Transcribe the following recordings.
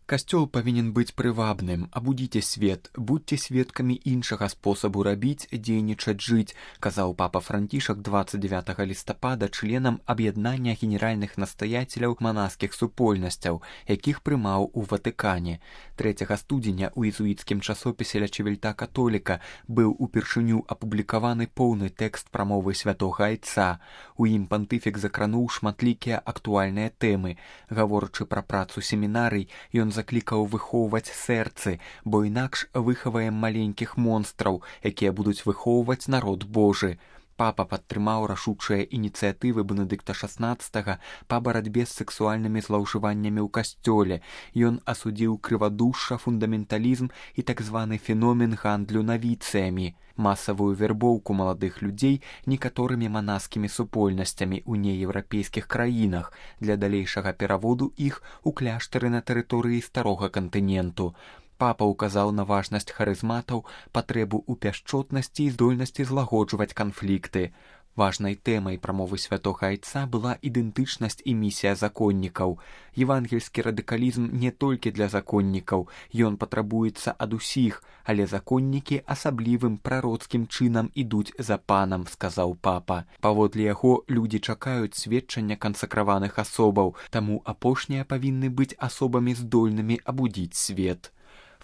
Касцёл павінен быць прывабным, абудзіце свет, будьце сведкамі іншага спосабу рабіць, дзейнічаць, жыць, казаў папа Францішак 29 лістапада членам аб'яднання генеральных настаяцеляў манаскіх супольнасцяў, якіх прымаў у Ватыкане. 3 студзеня ў езуіцкім часопісе «Ля Чивельта католіка» быў упершыню апублікаваны поўны тэкст прамовы святога айца. У ім пантыфік закрануў шматлікія актуальныя тэмы. Гаворачы пра працу семінарый, ён заклікаў выхоўваць сэрцы, бо інакш выхаваем маленькіх монстраў, якія будуць выхоўваць народ Божы. Папа падтрымаў рашучыя ініцыятывы Бенедыкта XVI па барацьбе з сексуальнымі злоўжываннямі ў касцёле. Ён асудзіў крывадушша, фундаменталізм і так званы феномен гандлю навіцыямі, масавую вербоўку маладых людзей некаторымі манаскімі супольнасцямі ў нееўрапейскіх краінах для далейшага пераводу іх у кляштары на тэрыторыі старога кантыненту. Папа ўказаў на важнасць харызматаў, патрэбу ў пяшчотнасці і здольнасці злагоджваць канфлікты. Важнай тэмай прамовы святога айца была ідэнтычнасць і місія законнікаў. Евангельскі радыкалізм не толькі для законнікаў, ён патрабуецца ад усіх, але законнікі асаблівым прароцкім чынам ідуць за панам, сказаў папа. Паводле яго, людзі чакаюць сведчання кансакраваных асобаў, таму апошнія павінны быць асобамі здольнымі абудзіць свет.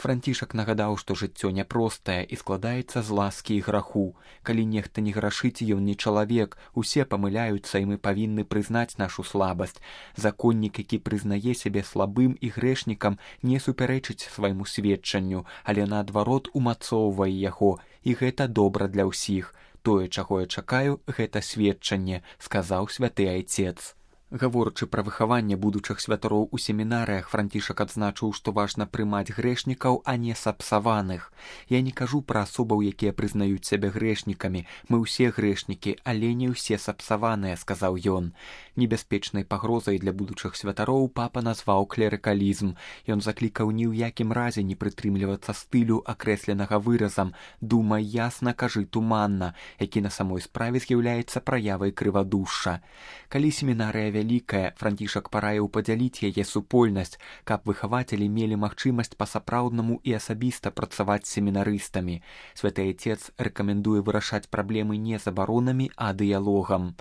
Францішак нагадаў, што жыццё няпростае і складаецца з ласкі і граху. Калі нехта не грашыць, ён не чалавек, усе памыляюцца, і мы павінны прызнаць нашу слабасць. Законнік, які прызнае сябе слабым і грэшнікам, не супярэчыць свайму сведчанню, але наадварот умацоўвае яго, і гэта добра для ўсіх. Тое, чаго я чакаю, гэта сведчанне, сказаў святы айцец. Гаворачы пра выхаванне будучых святароў у семінарыях, Францішак адзначыў, што важна прымаць грэшнікаў, а не сапсаваных. Я не кажу пра асобаў, якія прызнаюць сябе грэшнікамі. Мы ўсе грэшнікі, але не ўсе сапсаваныя, сказаў ён. Небяспечнай пагрозай для будучых святароў папа назваў клерыкалізм. Ён заклікаў ні ў якім разе не прытрымлівацца стылю, акрэсленага выразам «думай ясна, кажы туманна», які на самой справе з'яўляецца праявай крывадушша. Калі семінарыя вялікая, Францішак параіў падзяліць яе супольнасць, каб выхавацелі мелі магчымасць па-сапраўднаму і асабіста працаваць з семінарыстамі. Святы айцец рэкамендуе вырашаць праблемы не забаронамі, а дыялогам.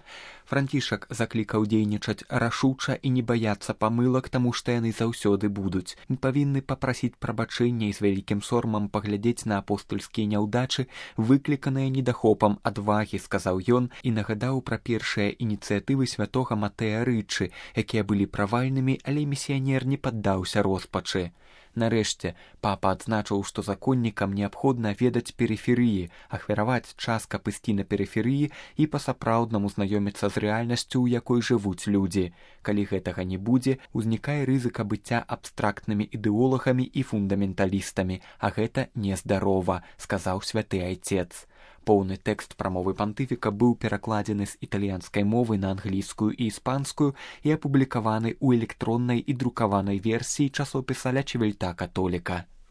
Францішак заклікаў дзейнічаць рашуча і не баяцца памылак, таму што яны заўсёды будуць. Мы павінны папрасіць прабачэння і з вялікім сорамам паглядзець на апостальскія няўдачы, выкліканыя недахопам адвагі, сказаў ён і нагадаў пра першыя ініцыятывы святога Матэя Рычы, якія былі правальнымі, але місіянер не паддаўся роспачы. Нарэшце, папа адзначыў, што законнікам неабходна ведаць перыферыі, ахвяраваць час, каб ісці на перыферыі і па-сапраўднаму знаёміцца з рэальнасцю, у якой жывуць людзі. Калі гэтага не будзе, узнікае рызыка быцця абстрактнымі ідэолагамі і фундаменталістамі, а гэта нездарова, сказаў святы айцец. Поўны тэкст прамовы пантыфіка быў перакладзены з італьянскай мовы на англійскую і іспанскую і апублікаваны ў электроннай і друкаванай версіі часопіса «Ля Чивельта католіка».